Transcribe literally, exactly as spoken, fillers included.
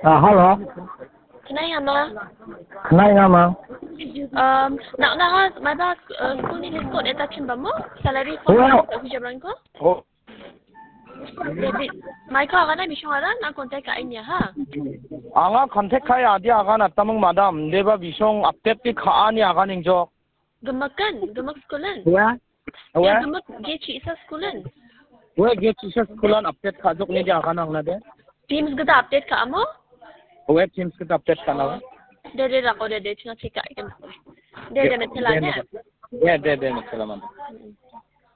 Ah, hello. Knainga ma? Knainga ma? Um, nak nak mas mada uh, school ni discount eta chimba mo? Salary for Well, hujabrangko? Oh. Jadi, Michael agana bisong ada na contact ka ini ha? Anga contact kai adi agan atamung madam. Deba bisong update ti ka ani agan ingjok. Gemakan, gemak schoolan. Wa? Ya, Wa? Gemak ge chi isa schoolan. Wa ge chi isa schoolan update ka jok ni di agan ang na de. Teams gada update ka amo? Wa teams gada update ka na. De de rako de de chunga chika ikan. De de metela ne. De de de metela man.